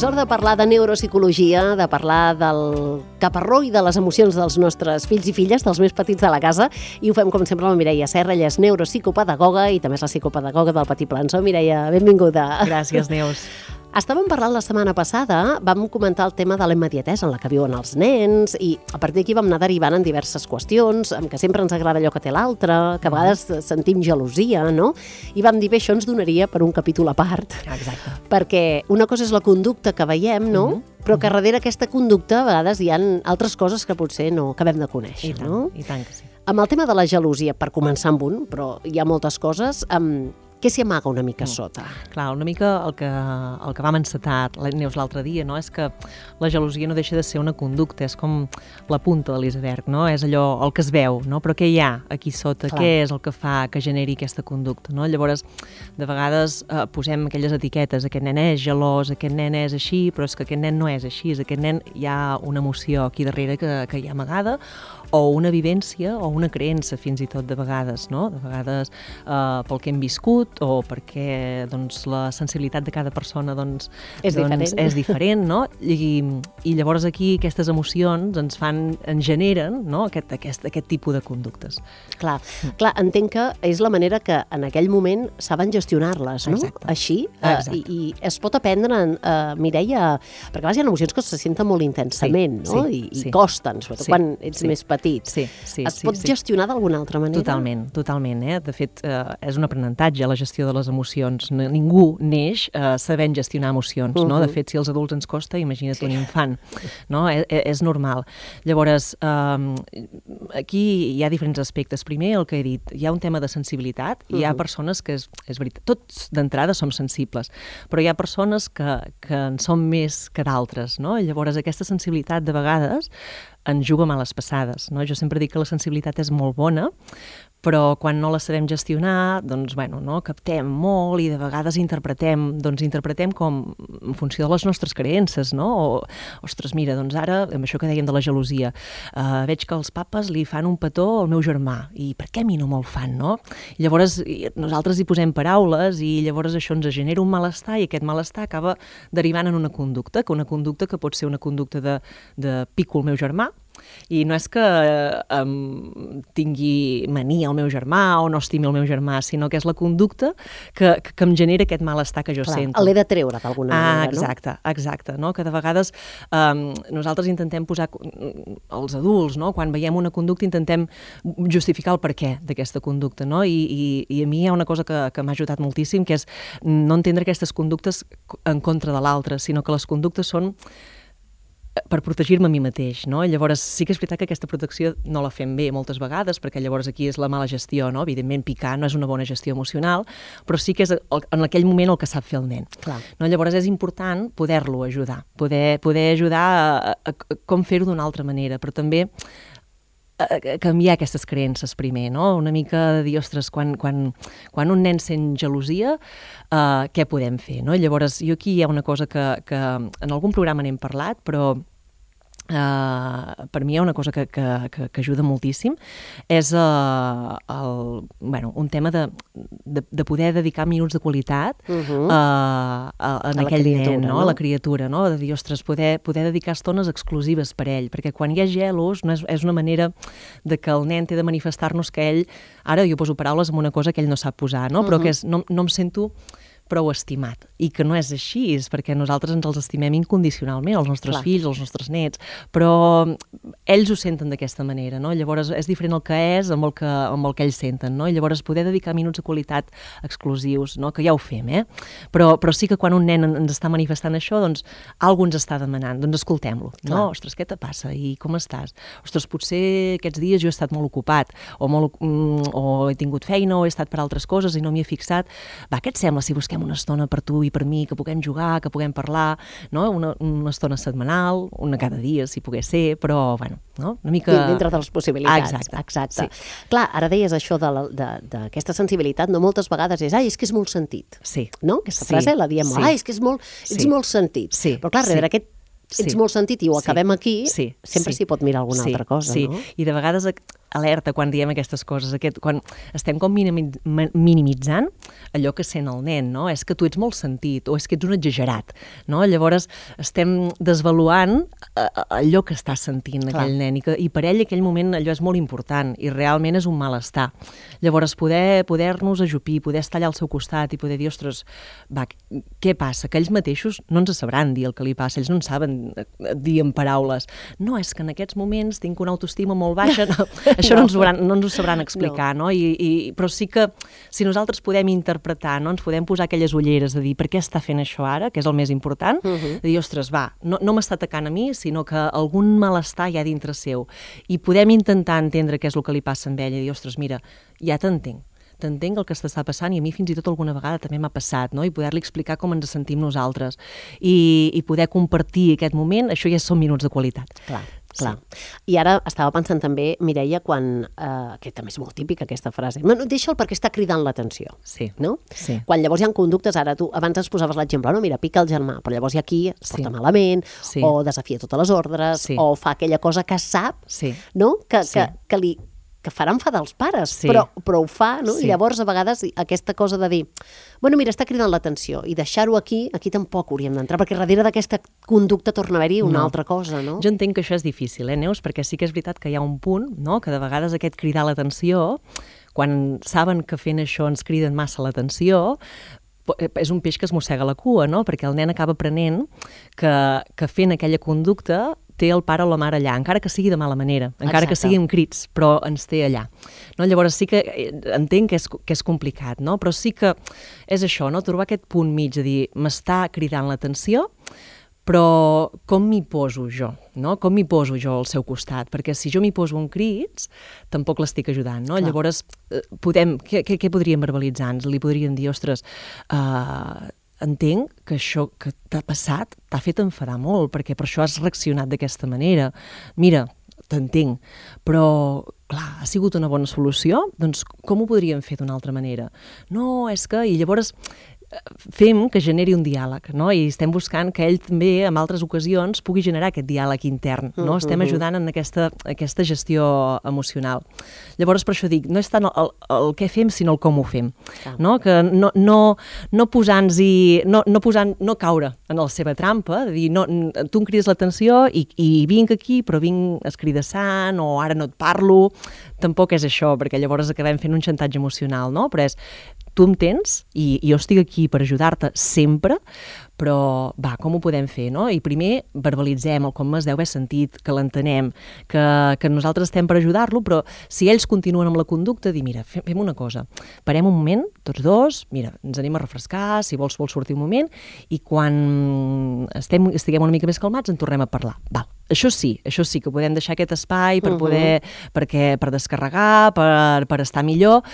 És hora de parlar de neuropsicologia, de parlar del caparró i de les emocions dels nostres fills i filles, dels més petits de la casa, i ho fem com sempre amb la Mireia Serra. Ella és neuropsicopedagoga i també és la psicopedagoga del Petit Plançó. Mireia, benvinguda. Gràcies, Neus. Estàvem parlant la setmana passada, vam comentar el tema de la immediatesa en la que viuen els nens i a partir d'aquí vam anar derivant en diverses qüestions, en que sempre ens agrada allò que té l'altre, que a vegades sentim gelosia, no? I vam dir, bé, això ens donaria per un capítol a part. Exacte. Perquè una cosa és la conducta que veiem, no? Però que darrere aquesta conducta a vegades hi ha altres coses que potser no acabem de conèixer, no? I tant que sí. Amb el tema de la gelosia, per començar amb un, però hi ha moltes coses, què s'hi amaga una mica sota? Clar, una mica el que vam encetar, Neus, l'altre dia, no? És que la gelosia no deixa de ser una conducta, és com la punta de l'iceberg, no? És allò, el que es veu, no? Però què hi ha aquí sota? Clar. Què és el que fa que generi aquesta conducta, no? Llavors, de vegades posem aquelles etiquetes, aquest nen és gelós, aquest nen és així, però és que aquest nen no és així, aquest nen hi ha una emoció aquí darrere que hi ha amagada, o una vivència o una creença fins i tot de vegades, no? De vegades pel que hem viscut o perquè doncs, la sensibilitat de cada persona és diferent, no? I llavors aquí aquestes emocions ens generen, no? aquest tipus de conductes. Clar, entenc que és la manera que en aquell moment saben gestionar-les, no? Exacte. Així, Exacte. I es pot aprendre, Mireia, perquè a vegades hi ha emocions que se senten molt intensament, no? I costen, sobretot quan ets més petit. Es pot gestionar d'alguna altra manera? Totalment. De fet, és un aprenentatge la gestió de les emocions. Ningú neix sabent gestionar emocions, no? De fet, si als adults ens costa, imagina't un infant, no? És normal. Llavors, aquí hi ha diferents aspectes. Primer, el que he dit, hi ha un tema de sensibilitat, i hi ha persones que, és veritat, tots d'entrada som sensibles, però hi ha persones que en són més que d'altres, no? Llavors, aquesta sensibilitat, de vegades, ens juga males passades, no? Jo sempre dic que la sensibilitat és molt bona, però quan no la sabem gestionar, doncs, no? Captem molt i de vegades interpretem com en funció de les nostres creences, no? Ostres, mira, doncs ara, amb això que dèiem de la gelosia, veig que els papes li fan un petó al meu germà, i per què a mi no me'l fan, no? I llavors nosaltres hi posem paraules i llavors això ens genera un malestar i aquest malestar acaba derivant en una conducta que pot ser una conducta de pico el meu germà, i no és que tingui mania el meu germà o no estimi el meu germà, sinó que és la conducta que em genera aquest malestar que jo sento. L'he de treure d'alguna manera, no? Exacte, no? Que de vegades nosaltres intentem posar, els adults, no? Quan veiem una conducta intentem justificar el perquè d'aquesta conducta, no? I a mi hi ha una cosa que m'ha ajudat moltíssim, que és no entendre aquestes conductes en contra de l'altre, sinó que les conductes són per protegir-me a mi mateix, no? Llavors sí que és veritat que aquesta protecció no la fem bé moltes vegades, perquè llavors aquí és la mala gestió, no? Evidentment picar no és una bona gestió emocional, però sí que és en aquell moment el que sap fer el nen. Clar. No? Llavors és important poder-lo ajudar, poder ajudar a com fer-ho d'una altra manera, però també canviar aquestes creences primer, no? Una mica de dir, ostres, quan un nen sent gelosia, què podem fer, no? Llavors, jo aquí hi ha una cosa que en algun programa n'hem parlat, però per mi hi ha una cosa que ajuda moltíssim, és un tema de poder dedicar minuts de qualitat a aquell nen, no? A la criatura, no? De dir, ostres, poder dedicar estones exclusives per ell, perquè quan hi ha gelos és una manera de que el nen té de manifestar-nos que ell, ara jo poso paraules en una cosa que ell no sap posar, no? Però que és, no em sento prou estimat, i que no és així, és perquè nosaltres ens els estimem incondicionalment, els nostres fills, els nostres nets, però ells ho senten d'aquesta manera, no? Llavors és diferent el que és amb el que ells senten, no? I llavors poder dedicar minuts de qualitat exclusius, no? Que ja ho fem, però sí que quan un nen ens està manifestant això, doncs algú ens està demanant, doncs escoltem-lo, no? Ostres, què te passa? I com estàs? Ostres, potser aquests dies jo he estat molt ocupat, o he tingut feina, o he estat per altres coses i no m'hi he fixat. Va, què et sembla si busquem una estona per tu i per mi, que puguem jugar, que puguem parlar, no? Una estona setmanal, una cada dia, si pogués ser, però, no? Una mica... Dintre de les possibilitats. Exacte. Sí. Clar, ara deies això d'aquesta sensibilitat, no moltes vegades és que és molt sentit. Sí. No? Aquesta frase la diem molt, és que ets molt sentit. Sí. Però clar, darrere aquest ets molt sentit i ho acabem aquí, sempre s'hi pot mirar alguna altra cosa, no? Sí, i de vegades alerta quan diem aquestes coses, quan estem com minimitzant allò que sent el nen, no? És que tu ets molt sentit o és que ets un exagerat, no? Llavors estem desvaluant allò que està sentint aquell nen i per ell aquell moment allò és molt important i realment és un malestar. Llavors poder-nos ajupir, poder estar allà al seu costat i poder dir, ostres, va, què passa? Que ells mateixos no ens sabran dir el que li passa, ells no en saben dir en paraules. No, és que en aquests moments tinc una autoestima molt baixa, això no ens ho sabran explicar, no? Però sí que si nosaltres podem interpretar, no? Ens podem posar aquelles ulleres de dir per què està fent això ara, que és el més important, de dir, ostres, va, no m'està atacant a mi, sinó que algun malestar hi ha dintre seu. I podem intentar entendre què és el que li passa amb ella i dir, ostres, mira, ja t'entenc el que està passant i a mi fins i tot alguna vegada també m'ha passat, no? I poder-li explicar com ens sentim nosaltres i poder compartir aquest moment, això ja són minuts de qualitat. Clar. I ara estava pensant també, Mireia, quan, que també és molt típica aquesta frase, deixa'l perquè està cridant l'atenció, no? Sí. Quan llavors hi ha conductes, ara tu abans ens posaves l'exemple, no? Mira, pica el germà, però llavors hi ha qui es porta malament, o desafia totes les ordres, o fa aquella cosa que sap, no? Que farà enfadar els pares, però ho fa, no? I llavors a vegades aquesta cosa de dir, bueno, mira, està cridant l'atenció i deixar-ho aquí tampoc hauríem d'entrar, perquè darrere d'aquesta conducta torna a haver-hi una altra cosa, no? Jo entenc que això és difícil, Neus? Perquè sí que és veritat que hi ha un punt, no?, que de vegades aquest cridar l'atenció, quan saben que fent això ens criden massa l'atenció, és un peix que es mossega la cua, no? Perquè el nen acaba aprenent que fent aquella conducta té el pare o la mare allà, encara que sigui de mala manera, encara que sigui amb crits, però ens té allà. No? Llavors sí que entenc que és complicat, no? Però sí que és això, no? Trobar aquest punt mig de dir, m'està cridant l'atenció, però com m'hi poso jo? No? Com m'hi poso jo al seu costat? Perquè si jo m'hi poso en crits, tampoc l'estic ajudant, no? Llavors, què podríem verbalitzar? Li podríem dir, ostres, entenc que això que t'ha passat t'ha fet enfadar molt, perquè per això has reaccionat d'aquesta manera. Mira, t'entenc, però, clar, ha sigut una bona solució? Doncs com ho podríem fer d'una altra manera? No, és que... I llavors fem que generi un diàleg, no? I estem buscant que ell també, en altres ocasions, pugui generar aquest diàleg intern, no? Estem ajudant en aquesta gestió emocional. Llavors, per això dic, no és tant el què fem, sinó el com ho fem, no? Que no posar-nos-hi, no caure en la seva trampa, de dir, no, tu em crides l'atenció i vinc aquí, però vinc escridassant, o ara no et parlo, tampoc és això, perquè llavors acabem fent un xantatge emocional, no? Però és, tu em tens i jo estic aquí per ajudar-te sempre, però va, com ho podem fer, no? I primer verbalitzem el com es deu haver sentit, que l'entenem, que nosaltres estem per ajudar-lo, però si ells continuen amb la conducta, dir, mira, fem una cosa, parem un moment, tots dos, mira, ens anem a refrescar, si vols sortir un moment, i quan estiguem una mica més calmats en tornem a parlar. Val. Això sí que podem deixar aquest espai per poder, per descarregar, per estar millor,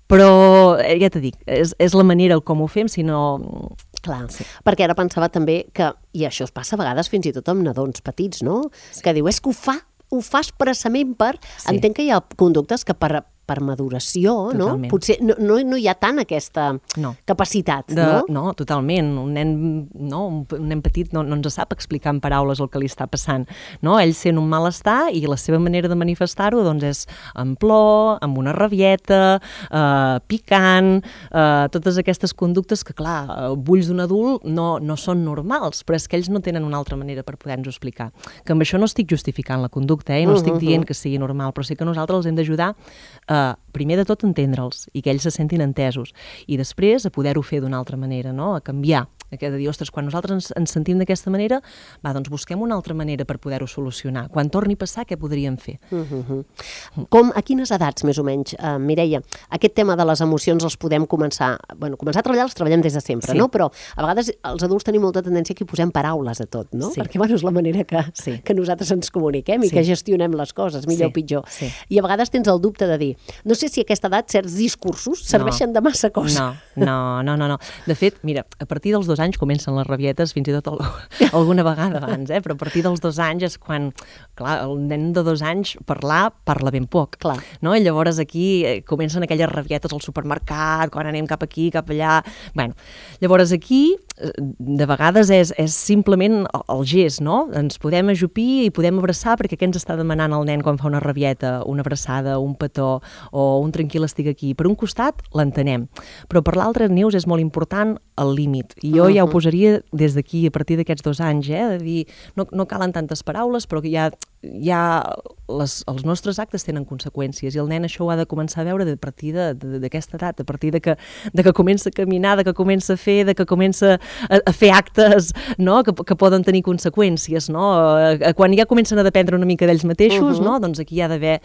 però ja t'he dit, és la manera com ho fem, sinó... Clar, perquè ara pensava també que, i això es passa a vegades fins i tot amb nadons petits, no? Que diu, és que ho fa expressament per... Entenc que hi ha conductes que per maduració, no? Potser no hi ha tant aquesta capacitat, no? No, totalment. Un nen petit no ens sap explicar en paraules el que li està passant, no? Ell sent un malestar i la seva manera de manifestar-ho doncs és amb plor, amb una rabieta, picant, totes aquestes conductes que, clar, ulls d'un adult no són normals, però és que ells no tenen una altra manera per poder-nos explicar. Que amb això no estic justificant la conducta, no estic dient que sigui normal, però sí que nosaltres els hem d'ajudar primer de tot entendre'ls i que ells se sentin entesos i després a poder-ho fer d'una altra manera, no? A canviar, de dir, ostres, quan nosaltres ens sentim d'aquesta manera, va, doncs busquem una altra manera per poder-ho solucionar. Quan torni a passar, què podríem fer? A quines edats, més o menys, Mireia, aquest tema de les emocions els podem començar a treballar, els treballem des de sempre, no? Però a vegades els adults tenim molta tendència que hi posem paraules a tot, no? Perquè, és la manera que nosaltres ens comuniquem i que gestionem les coses, millor o pitjor. I a vegades tens el dubte de dir, no sé si a aquesta edat certs discursos serveixen de massa cosa. No. De fet, mira, a partir dels 2 anys comencen les rabietes, fins i tot alguna vegada abans, però a partir dels 2 anys és quan, clar, el nen de 2 anys parla ben poc. Clar. No? I llavors aquí comencen aquelles rabietes al supermercat, quan anem cap aquí, cap allà... Bueno, llavors aquí, de vegades és simplement el gest, no? Ens podem ajupir i podem abraçar, perquè què ens està demanant el nen quan fa una rabieta, una abraçada, un petó o un tranquil estic aquí? Per un costat l'entenem, però per l'altre, Neus, és molt important el límit. I jo ja ho posaria des d'aquí, a partir d'aquests 2 anys, de dir, no calen tantes paraules, però que els nostres actes tenen conseqüències i el nen això ho ha de començar a veure a partir d'aquesta edat, a partir de que comença a caminar, de que comença a fer, de que comença a fer actes, no? que poden tenir conseqüències. No? Quan ja comencen a dependre una mica d'ells mateixos, no? Doncs aquí hi ha d'haver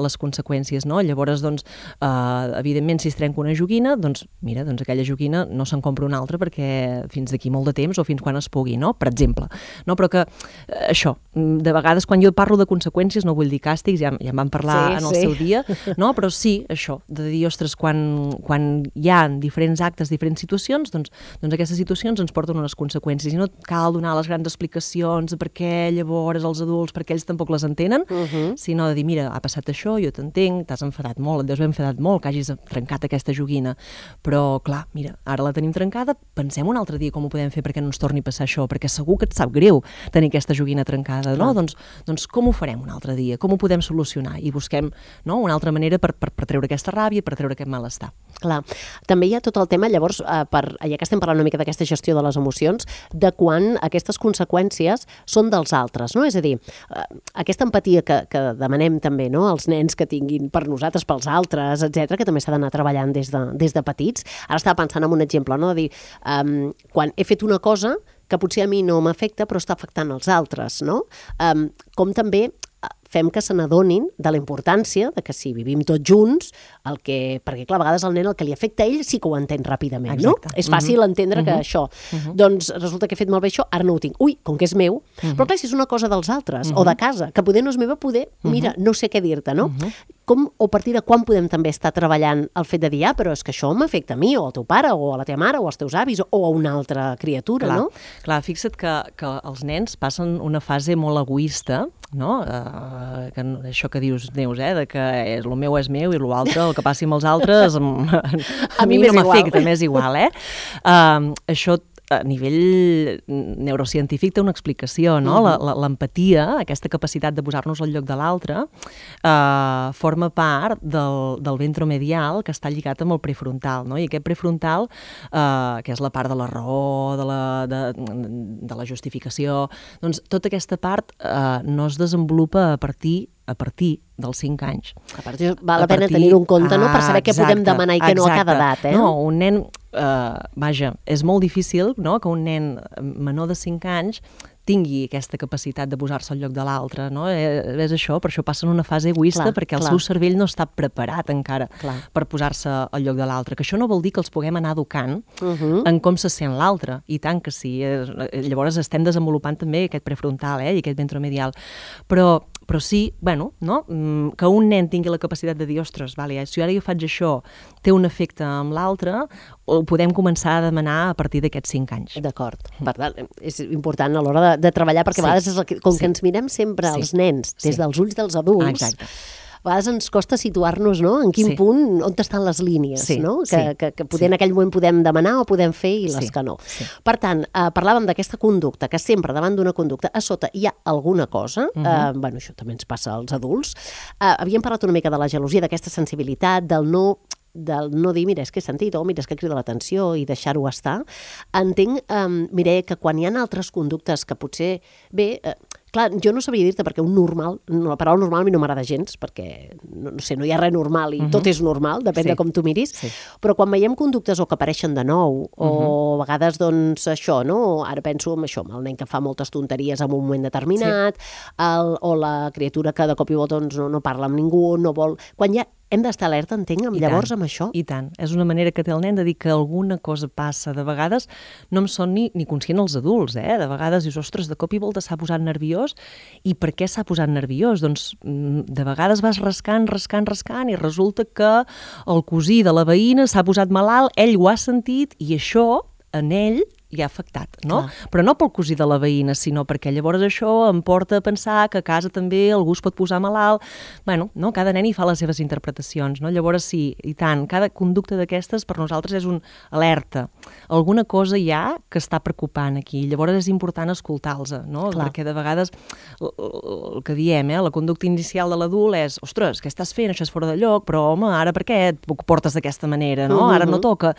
les conseqüències. No? Llavors, doncs, evidentment, si es trenca una joguina, doncs, mira, doncs aquella joguina no se'n compra una altra perquè fins d'aquí molt de temps o fins quan es pugui, no? Per exemple. No? Però que això, de vegades, quan jo parlo de conseqüències, no vull dir càstigs, ja en vam parlar en el seu dia, no? Però sí, això, de dir, ostres, quan hi ha diferents actes, diferents situacions, doncs aquestes situacions ens porten unes conseqüències i no cal donar les grans explicacions de per què llavors els adults, perquè ells tampoc les entenen, sinó de dir, mira, ha passat això, jo t'entenc, t'has enfadat molt, et deus haver enfadat molt que hagis trencat aquesta joguina, però clar, mira, ara la tenim trencada, pensem un altre dia com ho podem fer perquè no ens torni a passar això, perquè segur que et sap greu tenir aquesta joguina trencada, no? Doncs com ho farem un altre dia? Com ho podem solucionar? I busquem, no, una altra manera per treure aquesta ràbia, per treure aquest malestar. Clar. També hi ha tot el tema, llavors, ja que estem parlant una mica d'aquesta gestió de les emocions, de quan aquestes conseqüències són dels altres, no? És a dir, aquesta empatia que demanem també, no?, als nens que tinguin per nosaltres, pels altres, etc, que també s'ha d'anar treballant des de petits. Ara estava pensant en un exemple, no?, de dir, quan he fet una cosa que potser a mi no m'afecta, però està afectant els altres, no? Com també fem que se n'adonin de la importància de que si vivim tots junts, perquè clar, a vegades el nen el que li afecta a ell sí que ho entén ràpidament, no? És fàcil entendre que això, doncs resulta que he fet malbé això, ara no ho tinc. Ui, com que és meu, però clar, si és una cosa dels altres, o de casa, que poder no és meva, mira, no sé què dir-te, no? Com, o a partir de quan podem també estar treballant el fet de dir, però és que això m'afecta a mi, o al teu pare, o a la teva mare, o als teus avis, o a una altra criatura, no? Clar, fixa't que els nens passen una fase molt egoista, no? Això que dius, Neus, de que el meu és meu i l'altre, el que passi amb els altres, a mi no m'afecta, m'és igual, Això a nivell neurocientífic té una explicació, no? L'empatia, aquesta capacitat de posar-nos al lloc de l'altre, forma part del ventromedial que està lligat amb el prefrontal, no? I aquest prefrontal, que és la part de la raó, de la justificació, doncs tota aquesta part no es desenvolupa a partir dels 5 anys. A partir val la pena tenir-ho en compte, no?, per saber què podem demanar i què no a cada edat, No, un nen, vaja, és molt difícil, no?, que un nen menor de 5 anys tingui aquesta capacitat de posar-se al lloc de l'altre, no? És això, per això passa en una fase egoista, perquè el seu cervell no està preparat encara per posar-se al lloc de l'altre, que això no vol dir que els puguem anar educant en com se sent l'altre, i tant que sí. Llavors estem desenvolupant també aquest prefrontal i aquest ventromedial, però sí, bueno, no? Que un nen tingui la capacitat de dir, ostres, si ara jo faig això, té un efecte amb l'altre, ho podem començar a demanar a partir d'aquests 5 anys. D'acord. Per tant, és important a l'hora de treballar, perquè a vegades com que ens mirem sempre els nens des dels ulls dels adults, a vegades ens costa situar-nos, no?, en quin punt, on estan les línies, no?, que poder en aquell moment podem demanar o podem fer i les que no. Per tant, parlàvem d'aquesta conducta, que sempre davant d'una conducta a sota hi ha alguna cosa, bueno, això també ens passa als adults. Havíem parlat una mica de la gelosia, d'aquesta sensibilitat, del no dir, mira, és que he sentit, o mira, és que crida l'atenció i deixar-ho estar. Entenc, Mireia, que quan hi ha altres conductes que potser, clar, jo no sabria dir-te perquè la paraula normal a mi no m'agrada gens, perquè, no sé, no hi ha res normal i tot és normal, depèn de com tu miris, però quan veiem conductes o que apareixen de nou, o a vegades, doncs, això, no? Ara penso en això, el nen que fa moltes tonteries en un moment determinat, o la criatura que de cop i volta no parla amb ningú, no vol... Quan ja hem d'estar alerta, entenc, llavors amb això? I tant. És una manera que té el nen de dir que alguna cosa passa. De vegades no em són ni conscient els adults, De vegades dius, ostres, de cop i volta s'ha posat nerviós. I per què s'ha posat nerviós? Doncs de vegades vas rascant i resulta que el cosí de la veïna s'ha posat malalt, ell ho ha sentit i això en ell ja afectat, no? Però no pel cosí de la veïna, sinó perquè llavors això em porta a pensar que a casa també algú es pot posar malalt. Bueno, no? Cada nen hi fa les seves interpretacions, no? Llavors sí, i tant, cada conducta d'aquestes per nosaltres és un alerta. Alguna cosa hi ha que està preocupant aquí, llavors és important escoltar-los, no? Perquè de vegades el que diem, la conducta inicial de l'adult és, ostres, què estàs fent? Això és fora de lloc, però home, ara per què et portes d'aquesta manera, no? Ara no toca.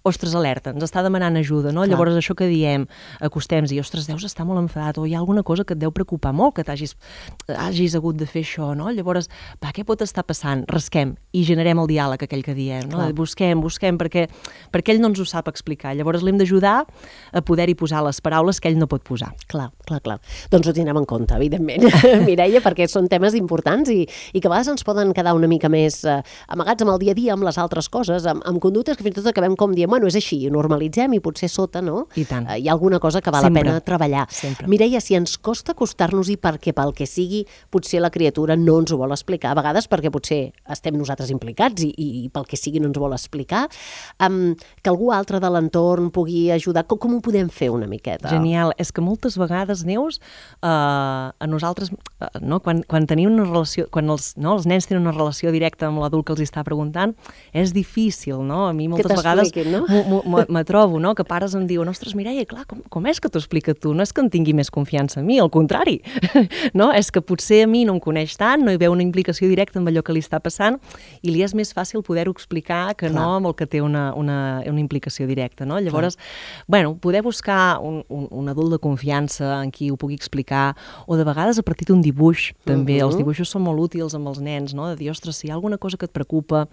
Ostres, alerta, ens està demanant ajuda, no? Llavors això que diem, acostem-nos i, ostres, deus estar molt enfadat, o hi ha alguna cosa que et deu preocupar molt, que hagis hagut de fer això, no? Llavors, què pot estar passant? Rasquem i generem el diàleg aquell que diem, no? Busquem, perquè ell no ens ho sap explicar. Llavors l'hem d'ajudar a poder-hi posar les paraules que ell no pot posar. Clar. Doncs ho tindrem en compte, evidentment, Mireia, perquè són temes importants i que a vegades ens poden quedar una mica més amagats amb el dia a dia, amb les altres coses, amb conductes que fins i tot acabem com diem, bueno, és així, ho normalitzem i potser sota, no? I tant. Hi ha alguna cosa que val la pena treballar. Sempre. Mireia, si ens costa acostar-nos-hi perquè pel que sigui, potser la criatura no ens ho vol explicar, a vegades perquè potser estem nosaltres implicats i pel que sigui no ens vol explicar, que algú altre de l'entorn pugui ajudar, com ho podem fer una miqueta? Genial, és que moltes vegades, Neus, a nosaltres, no, quan tenim una relació, quan els nens tenen una relació directa amb l'adult que els està preguntant, és difícil, no? A mi moltes vegades no? me trobo, no? Que pares em diuen, ostres, Mireia, clar, com és que t'ho explica tu? No és que en tingui més confiança en mi, al contrari, no? És que potser a mi no em coneix tant, no hi veu una implicació directa amb allò que li està passant i li és més fàcil poder-ho explicar que no amb el que té una implicació directa, no? Llavors, bueno, poder buscar un adult de confiança en qui ho pugui explicar, o de vegades a partir d'un dibuix, també. Els dibuixos són molt útils amb els nens, no? De dir, ostres, si hi ha alguna cosa que et preocupa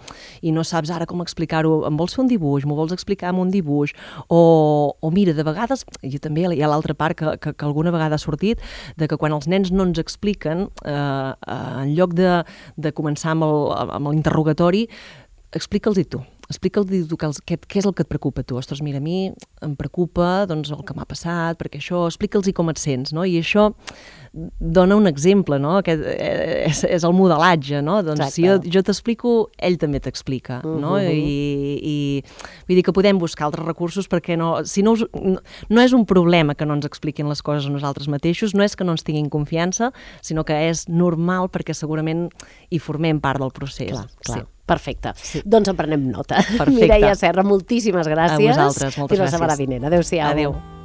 i no saps ara com explicar-ho, em vols fer un dibuix, m'ho vols explicar amb un dibuix, o mira, de vegades, i també hi ha l'altra part que alguna vegada ha sortit, de que quan els nens no ens expliquen, en lloc de començar amb l'interrogatori, explica'ls-hi tu. Explica'ls tu què és el que et preocupa a tu. Ostres, mira, a mi em preocupa doncs, el que m'ha passat, perquè això, explica'ls-hi com et sents, no? I això dona un exemple, no? Aquest és el modelatge, no? Doncs si jo t'explico, ell també t'explica, no? I vull dir que podem buscar altres recursos perquè no és un problema que no ens expliquin les coses a nosaltres mateixos, no és que no ens tinguin confiança, sinó que és normal perquè segurament hi formem part del procés. Clar. Perfecte. Doncs en prenem nota. Mireia Serra, moltíssimes gràcies. A vosaltres, moltes gràcies. Fins la setmana vinent. Adéu-siau. Adéu.